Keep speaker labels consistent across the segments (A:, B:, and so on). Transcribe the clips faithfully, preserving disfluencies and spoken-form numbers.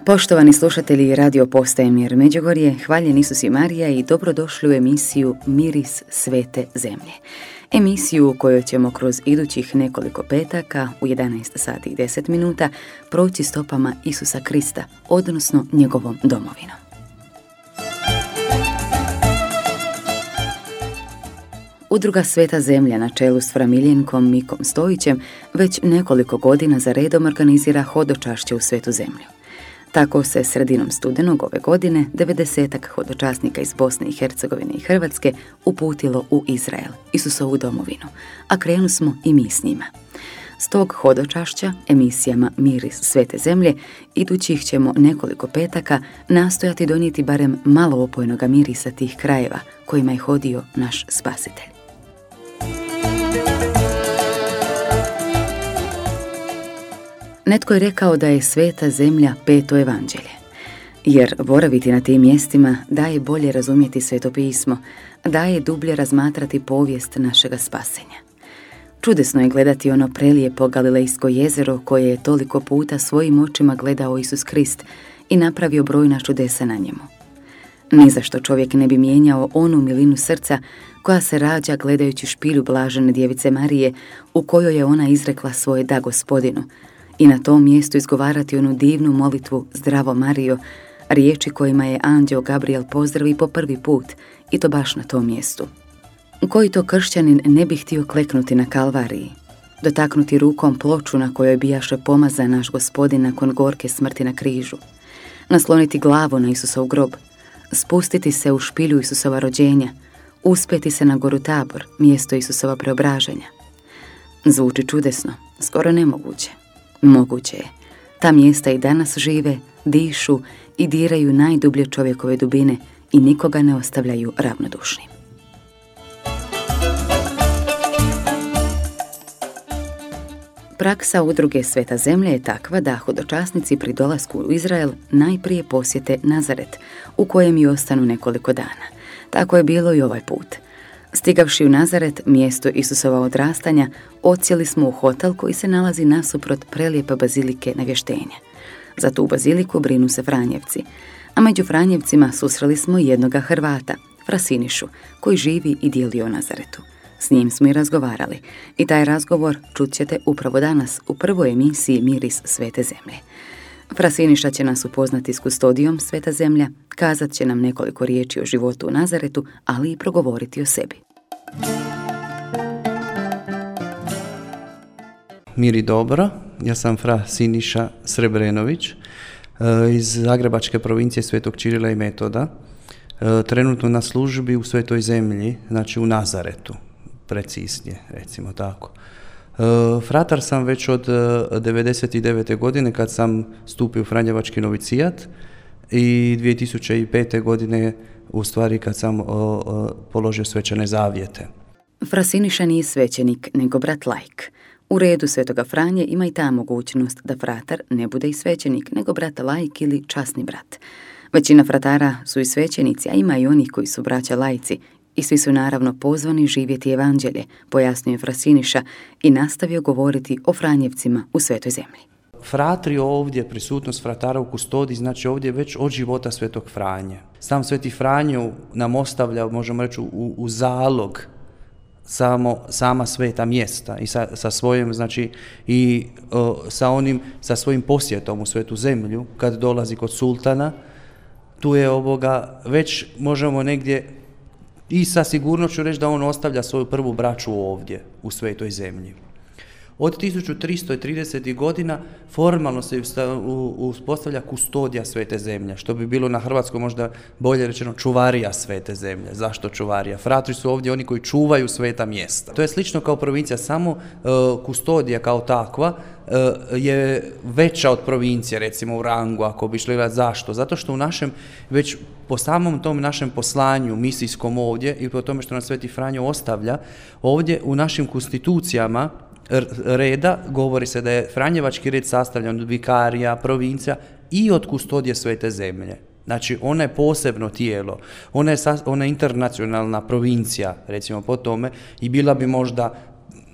A: Poštovani slušatelji Radio Postaje Mir Međugorje, hvaljen Isus i Marija i dobrodošli u emisiju Miris svete zemlje. Emisiju u kojoj ćemo kroz idućih nekoliko petaka u jedanaest sati i deset minuta proći stopama Isusa Krista, odnosno njegovom domovinom. Udruga Sveta zemlja na čelu s framiljenkom Mikom Stojićem već nekoliko godina za redom organizira hodočašće u Svetu zemlju. Tako se sredinom studenog ove godine devedesetak hodočasnika iz Bosne i Hercegovine i Hrvatske uputilo u Izrael, Isusovu domovinu, a krenu smo i mi s njima. S tog hodočašća, emisijama Miris svete zemlje, idućih ćemo nekoliko petaka nastojati donijeti barem malo opojnoga mirisa tih krajeva kojima je hodio naš Spasitelj. Netko je rekao da je sveta zemlja peto evanđelje, jer boraviti na tim mjestima daje bolje razumjeti sveto pismo, daje dublje razmatrati povijest našega spasenja. Čudesno je gledati ono prelijepo Galilejsko jezero koje je toliko puta svojim očima gledao Isus Krist i napravio brojna čudesa na njemu. Ni za što čovjek ne bi mijenjao onu milinu srca koja se rađa gledajući špilju blažene djevice Marije u kojoj je ona izrekla svoje da Gospodinu, i na tom mjestu izgovarati onu divnu molitvu Zdravo Marijo, riječi kojima je anđeo Gabriel pozdravi po prvi put, i to baš na tom mjestu. Koji to kršćanin ne bi htio kleknuti na Kalvariji, dotaknuti rukom ploču na kojoj bijaše pomazan naš Gospodin nakon gorke smrti na križu, nasloniti glavu na Isusov grob, spustiti se u špilju Isusova rođenja, uspeti se na goru Tabor, mjesto Isusova preobraženja. Zvuči čudesno, skoro nemoguće. Moguće je. Ta mjesta i danas žive, dišu i diraju najdublje čovjekove dubine i nikoga ne ostavljaju ravnodušnim. Praksa udruge Sveta zemlja je takva da hodočasnici pri dolasku u Izrael najprije posjete Nazaret, u kojem i ostanu nekoliko dana. Tako je bilo i ovaj put. Stigavši u Nazaret, mjesto Isusova odrastanja, odsjeli smo u hotel koji se nalazi nasuprot prelijepe bazilike Navještenja. Za tu baziliku brinu se Franjevci, a među Franjevcima susreli smo jednoga Hrvata, Frasinišu, koji živi i dijeli o Nazaretu. S njim smo i razgovarali i taj razgovor čut ćete upravo danas u prvoj emisiji Miris svete zemlje. Frasiniša će nas upoznati s kustodijom Sveta zemlja, kazat će nam nekoliko riječi o životu u Nazaretu, ali i progovoriti o sebi.
B: Mir i dobro, ja sam fra Siniša Srebrenović iz Zagrebačke provincije Svetog Čirila i Metoda, trenutno na službi u Svetoj zemlji, znači u Nazaretu, preciznije, recimo tako. Fratar sam već od devedeset devete godine kad sam stupio u Franjevački novicijat i dvije tisuće pete godine u stvari kad sam o, o, položio svečane zavjete.
A: Fra Siniša nije svećenik, nego brat laik. U redu Svetoga Franje ima i ta mogućnost da fratar ne bude i svećenik, nego brat laik ili časni brat. Većina fratara su i svećenici, a ima i onih koji su braća laici, i svi su naravno pozvani živjeti evanđelje, pojasnio je Fra Siniša i nastavio govoriti o Franjevcima u Svetoj zemlji.
B: Fratri ovdje, prisutnost fratara u kustodiji, znači ovdje već od života Svetog Franje. Sam Sveti Franjo nam ostavlja, možemo reći, u, u zalog samo, sama sveta mjesta i sa, sa svojim, znači, i o, sa onim, sa svojim posjetom u Svetu zemlju, kad dolazi kod sultana, tu je ovoga, već možemo negdje i sa sigurnošću reći da on ostavlja svoju prvu braću ovdje, u Svetoj zemlji. Od tisuću tristo tridesetih godina formalno se uspostavlja kustodija Svete zemlje, što bi bilo na hrvatskom možda bolje rečeno čuvarija Svete zemlje. Zašto čuvarija? Fratri su ovdje oni koji čuvaju sveta mjesta. To je slično kao provincija, samo uh, kustodija kao takva uh, je veća od provincije, recimo u rangu, ako bi šli gledati. Zašto? Zato što u našem, već po samom tom našem poslanju misijskom ovdje i po tome što nam Sveti Franjo ostavlja, ovdje u našim konstitucijama reda govori se da je Franjevački red sastavljan od vikarija, provincija i od kustodije Svete zemlje. Znači, ona je posebno tijelo, ona je, ona je internacionalna provincija, recimo po tome, i bila bi možda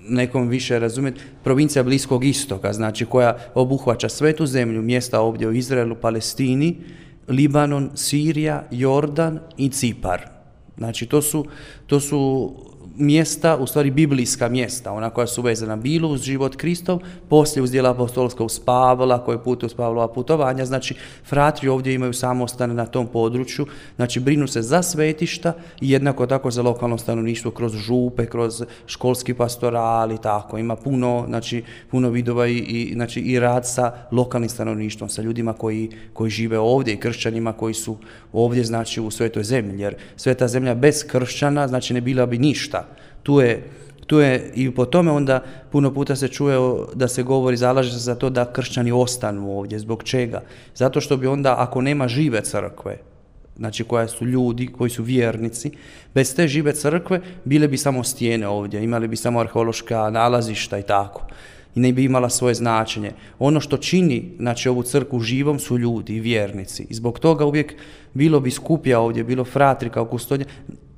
B: nekom više razumjeti, provincija Bliskog istoka, znači koja obuhvaća svetu zemlju, mjesta ovdje u Izraelu, Palestini, Libanon, Sirija, Jordan i Cipar. Znači to su, to su mjesta, u stvari biblijska mjesta, ona koja su vezana bilo uz život Kristov, poslije uz djela apostolska uz Pavla, koji pute uz Pavlova putovanja, znači fratri ovdje imaju samostane na tom području, znači brinu se za svetišta i jednako tako za lokalno stanovništvo kroz župe, kroz školski pastoral i tako, ima puno, znači, puno vidova i, i, znači, i rad sa lokalnim stanovništvom, sa ljudima koji, koji žive ovdje i kršćanima koji su ovdje, znači u svetoj zemlji, jer sveta zemlja bez kršćana, znači ne bila bi ništa. Tu je, tu je i po tome onda puno puta se čuje da se govori, zalaže se za to da kršćani ostanu ovdje. Zbog čega? Zato što bi onda, ako nema žive crkve, znači koja su ljudi, koji su vjernici, bez te žive crkve bile bi samo stijene ovdje, imali bi samo arheološka nalazišta i tako. I ne bi imala svoje značenje. Ono što čini, znači, ovu crkvu živom su ljudi i vjernici. I zbog toga uvijek bilo biskupija ovdje, bilo fratri kao kustodnja,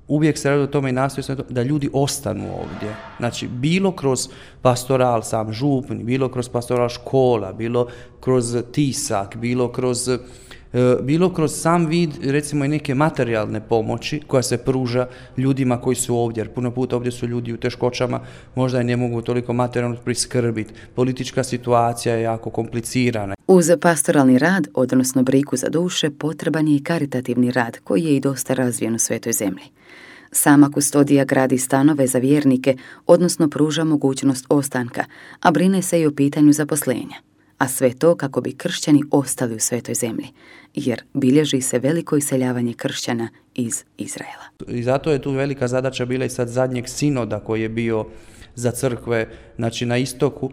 B: uvijek se radi o tome i nastoji se da ljudi ostanu ovdje. Znači, bilo kroz pastoral sam župni, bilo kroz pastoral škola, bilo kroz tisak, bilo kroz, bilo kroz sam vid, recimo, i neke materijalne pomoći koja se pruža ljudima koji su ovdje. Jer puno puta ovdje su ljudi u teškoćama, možda i ne mogu toliko materijalno priskrbiti. Politička situacija je jako komplicirana.
A: Uz pastoralni rad, odnosno brigu za duše, potreban je i karitativni rad koji je i dosta razvijen u svetoj zemlji. Sama kustodija gradi stanove za vjernike, odnosno pruža mogućnost ostanka, a brine se i o pitanju zaposlenja. A sve to kako bi kršćani ostali u svetoj zemlji, jer bilježi se veliko iseljavanje kršćana iz Izraela.
B: I zato je tu velika zadaća bila i sad zadnjeg sinoda koji je bio za crkve, znači na istoku,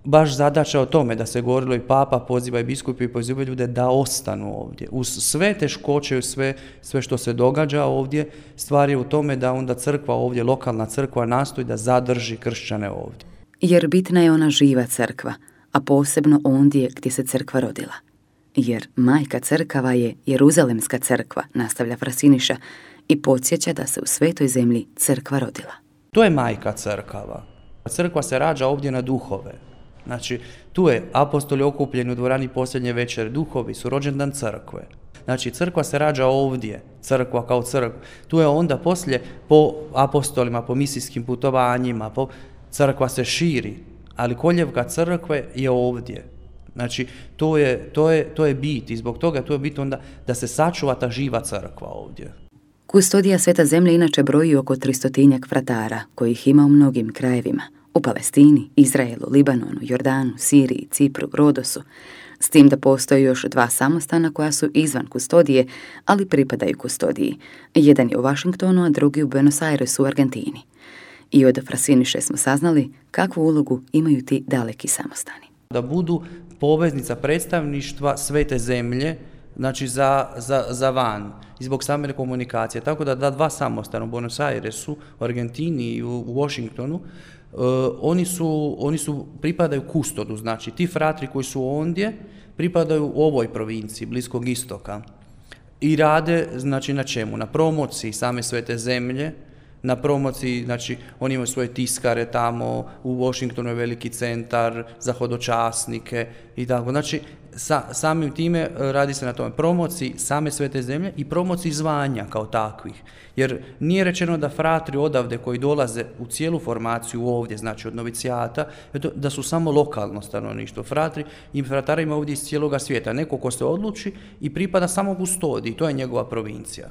B: baš zadaća o tome da se govorilo i papa poziva i biskupi i poziva ljude da ostanu ovdje. Uz sve teškoće, sve, sve što se događa ovdje, stvar je u tome da onda crkva ovdje, lokalna crkva nastoji da zadrži kršćane ovdje.
A: Jer bitna je ona živa crkva, a posebno ondje gdje se crkva rodila. Jer majka crkava je Jeruzalemska crkva, nastavlja fra Siniša, i podsjeća da se u svetoj zemlji crkva rodila.
B: To je majka crkava. Crkva se rađa ovdje na duhove. Znači, tu je apostoli okupljeni u dvorani posljednje večere, duhovi su rođendan crkve. Znači, crkva se rađa ovdje, crkva kao crkva. Tu je onda poslije po apostolima, po misijskim putovanjima, po crkva se širi, ali koljevka crkve je ovdje. Znači, to je, to je, to je bit i zbog toga to je bit onda da se sačuva ta živa crkva ovdje.
A: Kustodija Sveta zemlje inače broji oko tristotinjak fratara, kojih ima u mnogim krajevima. U Palestini, Izraelu, Libanonu, Jordanu, Siriji, Cipru, Rodosu, s tim da postoje još dva samostana koja su izvan kustodije, ali pripadaju kustodiji. Jedan je u Washingtonu, a drugi u Buenos Airesu u Argentini. I od Frasiniše smo saznali kakvu ulogu imaju ti daleki samostani.
B: Da budu poveznica predstavništva Svete zemlje, znači za, za, za van, i zbog same komunikacije. Tako da da dva samostana u Buenos Airesu, u Argentini i u, u Washingtonu, Uh, oni su, oni su, pripadaju kustodu, znači ti fratri koji su ondje pripadaju u ovoj provinciji, Bliskog istoka i rade, znači na čemu? Na promociji same Svete zemlje, na promociji, znači oni imaju svoje tiskare tamo, u Washingtonu je veliki centar za hodočasnike i tako, znači sa, samim time radi se na tome promociji same Svete zemlje i promociji zvanja kao takvih, jer nije rečeno da fratri odavde koji dolaze u cijelu formaciju ovdje, znači od novicijata, da su samo lokalno stanovništvo. Fratri i fratara ima ovdje iz cijeloga svijeta, neko ko se odluči i pripada samo kustodiji, to je njegova provincija.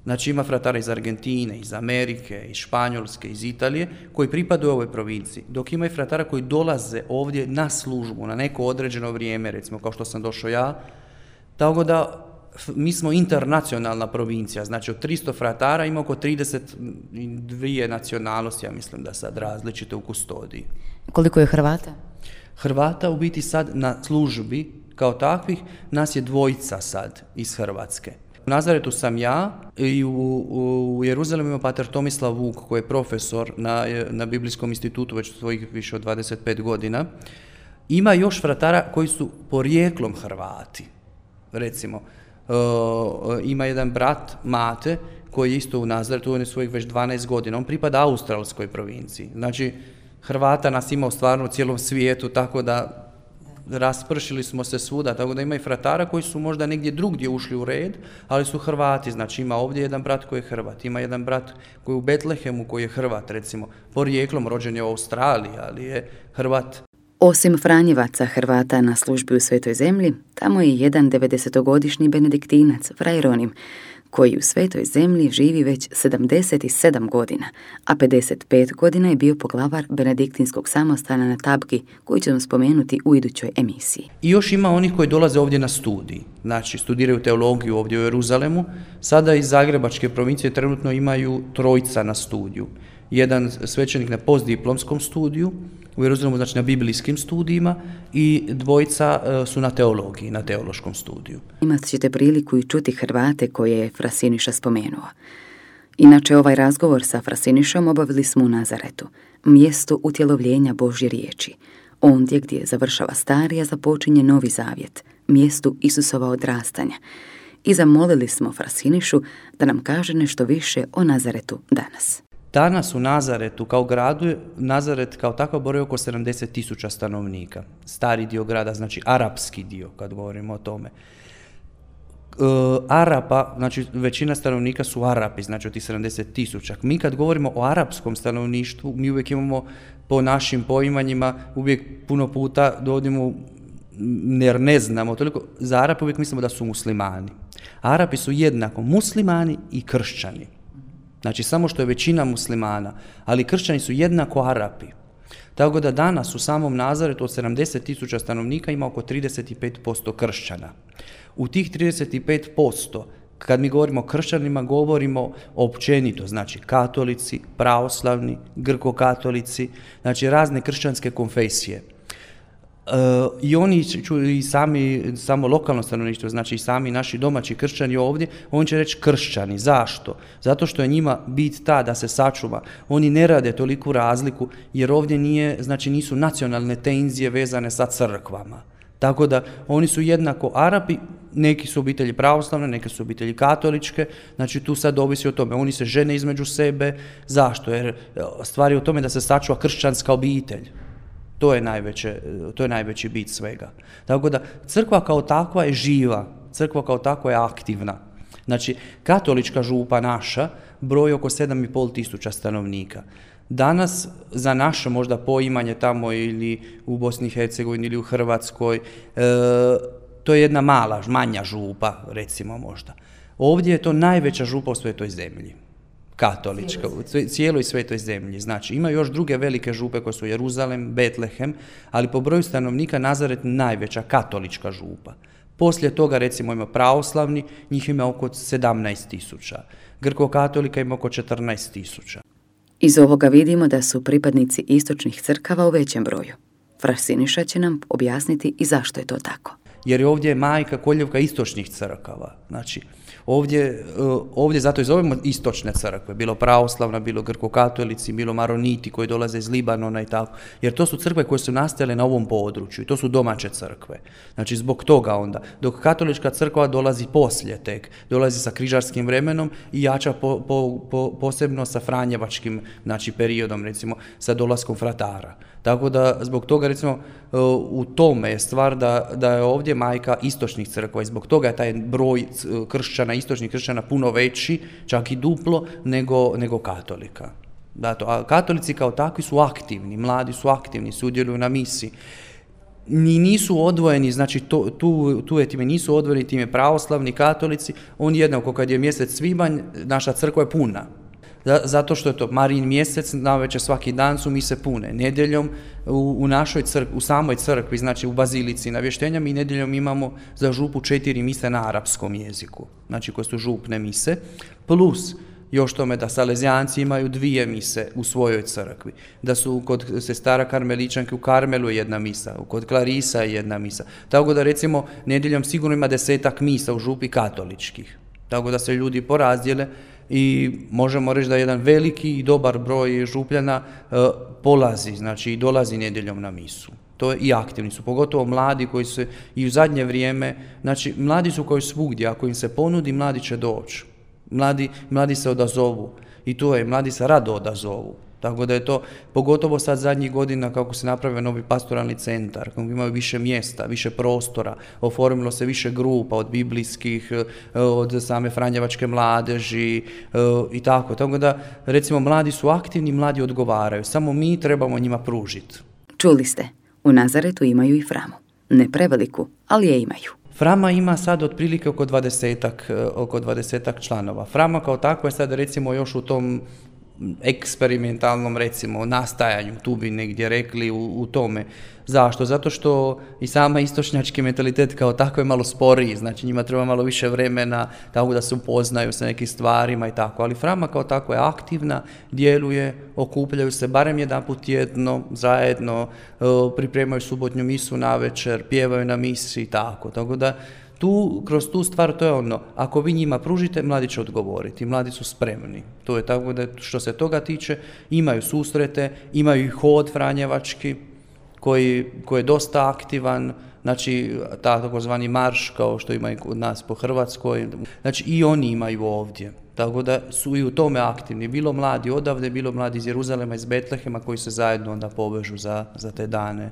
B: Znači ima fratara iz Argentine, iz Amerike, iz Španjolske, iz Italije, koji pripadaju ovoj provinciji, dok ima i fratara koji dolaze ovdje na službu, na neko određeno vrijeme, recimo kao što sam došao ja, tako da mi smo internacionalna provincija, znači od tristo fratara ima oko trideset dvije nacionalnosti, ja mislim da sad različite u kustodiji.
A: Koliko je Hrvata?
B: Hrvata u biti sad na službi kao takvih, nas je dvojica sad iz Hrvatske. U Nazaretu sam ja i u, u, u Jeruzalemu ima pater Tomislav Vuk koji je profesor na, na Biblijskom institutu već svojih više od dvadeset pet godina. Ima još fratara koji su porijeklom Hrvati. Recimo, uh, ima jedan brat Mate koji je isto u Nazaretu, on je svojih već dvanaest godina, on pripada australskoj provinciji. Znači, Hrvata nas ima stvarno u cijelom svijetu, tako da raspršili smo se svuda, tako da ima i fratara koji su možda negdje drugdje ušli u red, ali su Hrvati, znači ima ovdje jedan brat koji je Hrvat, ima jedan brat koji je u Betlehemu koji je Hrvat, recimo, porijeklom rođen je u Australiji, ali je Hrvat.
A: Osim Franjevaca Hrvata na službi u Svetoj zemlji, tamo je jedan devedesetogodišnji benediktinac, Fray Ronim, koji u Svetoj zemlji živi već sedamdeset sedam godina, a pedeset pet godina je bio poglavar benediktinskog samostana na Tabgi, koji ćemo spomenuti u idućoj emisiji.
B: I još ima onih koji dolaze ovdje na studij, znači studiraju teologiju ovdje u Jeruzalemu. Sada iz Zagrebačke provincije trenutno imaju trojica na studiju. Jedan svećenik na postdiplomskom studiju u Jeruzalemu, znači na biblijskim studijima, i dvojica su na teologiji, na teološkom studiju.
A: Imat ćete priliku i čuti Hrvate koje je Fra Siniša spomenuo. Inače, ovaj razgovor sa Fra Sinišom obavili smo u Nazaretu, mjestu utjelovljenja Božje riječi, ondje gdje završava stari, a započinje novi zavjet, mjestu Isusova odrastanja. I zamolili smo Fra Sinišu da nam kaže nešto više o Nazaretu danas.
B: Danas u Nazaretu kao gradu, Nazaret kao takav broji oko sedamdeset tisuća stanovnika. Stari dio grada, znači arapski dio, kad govorimo o tome. E, Arapa, znači većina stanovnika su Arapi, znači od tih sedamdeset tisuća. Mi kad govorimo o arapskom stanovništvu, mi uvijek imamo po našim poimanjima, uvijek puno puta dovodimo, jer ne znamo toliko, za Arape uvijek mislimo da su muslimani. Arapi su jednako muslimani i kršćani. Znači, samo što je većina muslimana, ali kršćani su jednako Arapi. Tako da danas u samom Nazaretu od sedamdeset tisuća stanovnika ima oko trideset pet posto kršćana. U tih trideset pet posto, kad mi govorimo o kršćanima, govorimo općenito, znači katolici, pravoslavni, grko-katolici, znači razne kršćanske konfesije. Uh, I oni i sami, samo lokalno stanovništvo, znači i sami naši domaći kršćani ovdje, on će reći kršćani. Zašto? Zato što je njima bit ta da se sačuva. Oni ne rade toliku razliku jer ovdje nije, znači nisu nacionalne tenzije vezane sa crkvama. Tako da oni su jednako Arapi, neki su obitelji pravoslavne, neke su obitelji katoličke, znači tu sad ovisi o tome. Oni se žene između sebe. Zašto? Jer stvar je u tome da se sačuva kršćanska obitelj. To je, najveće, to je najveći bit svega. Tako da crkva kao takva je živa, crkva kao takva je aktivna. Znači, katolička župa naša broji oko sedam i pol tisuća stanovnika. Danas, za naše možda poimanje tamo ili u Bosni i Hercegovini ili u Hrvatskoj, e, to je jedna mala, manja župa, recimo možda. Ovdje je to najveća župa u Svetoj zemlji. Katolička, u cijeloj Svetoj zemlji. Znači, ima još druge velike župe koje su Jeruzalem, Betlehem, ali po broju stanovnika Nazaret najveća katolička župa. Poslije toga, recimo, ima pravoslavni, njih ima oko sedamnaest tisuća. Grko-katolika ima oko četrnaest tisuća.
A: Iz ovoga vidimo da su pripadnici istočnih crkava u većem broju. Fra Siniša će nam objasniti i zašto je to tako.
B: Jer je ovdje majka koljevka istočnih crkava. Znači, ovdje, ovdje zato i zovemo istočne crkve, bilo pravoslavna, bilo grko-katolici, bilo maroniti koji dolaze iz Libanona i tako. Jer to su crkve koje su nastajale na ovom području i to su domaće crkve. Znači, zbog toga onda, dok katolička crkva dolazi poslije tek, dolazi sa križarskim vremenom i jača po, po, po, posebno sa franjevačkim, znači, periodom, recimo, sa dolaskom fratara. Tako da, zbog toga, recimo, u tome je stvar da, da je ovdje majka istočnih crkva i zbog toga je taj broj kršćana, istočnih kršćana puno veći, čak i duplo, nego, nego katolika. Zato, a katolici kao takvi su aktivni, mladi su aktivni, sudjeluju na misi. Ni nisu odvojeni, znači to, tu, tu je time, nisu odvojeni time pravoslavni katolici, oni jednako kad je mjesec svibanj, naša crkva je puna. Zato što je to Marijin mjesec, navečer svaki dan su mise pune. Nedjeljom u, u našoj crkvi, u samoj crkvi, znači u bazilici navještenja, mi nedjeljom imamo za župu četiri mise na arapskom jeziku, znači koje su župne mise, plus još tome da Salezijanci imaju dvije mise u svojoj crkvi, da su kod sestara Karmeličanke u Karmelu jedna misa, kod Klarisa je jedna misa. Tako da recimo nedjeljom sigurno ima desetak misa u župi katoličkih. Tako da se ljudi porazdjele i možemo reći da jedan veliki i dobar broj župljana e, polazi, znači i dolazi nedjeljom na misu. To je i aktivni su, pogotovo mladi koji se i u zadnje vrijeme, znači mladi su koji svugdje, ako im se ponudi, mladi će doći. Mladi, mladi se odazovu i to je, mladi se rado odazovu. Tako da je to, pogotovo sad zadnjih godina kako se napravio novi pastoralni centar, kako imaju više mjesta, više prostora, oformilo se više grupa od biblijskih, od same franjevačke mladeži i tako. Tako da, recimo, mladi su aktivni, mladi odgovaraju, samo mi trebamo njima pružiti.
A: Čuli ste, u Nazaretu imaju i Framu. Ne preveliku, ali je imaju.
B: Frama ima sad otprilike oko dvadesetak, oko dvadesetak članova. Frama kao takva je sad recimo još u tom eksperimentalnom recimo nastajanju, tu bi negdje rekli u, u tome. Zašto? Zato što i sama istočnjački mentalitet kao tako je malo sporiji, znači njima treba malo više vremena tako da se upoznaju sa nekim stvarima i tako, ali Frama kao tako je aktivna, djeluje, okupljaju se barem jedanput tjedno, zajedno, pripremaju subotnju misu navečer, pjevaju na misi i tako, tako da tu, kroz tu stvar, to je ono, ako vi njima pružite, mladi će odgovoriti, mladi su spremni. To je tako da, što se toga tiče, imaju susrete, imaju i hod franjevački, koji, koji je dosta aktivan, znači, ta takozvani marš, kao što ima i kod nas po Hrvatskoj, znači i oni imaju ovdje. Tako da su i u tome aktivni, bilo mladi odavde, bilo mladi iz Jeruzalema, iz Betlehema, koji se zajedno onda povežu za, za te dane.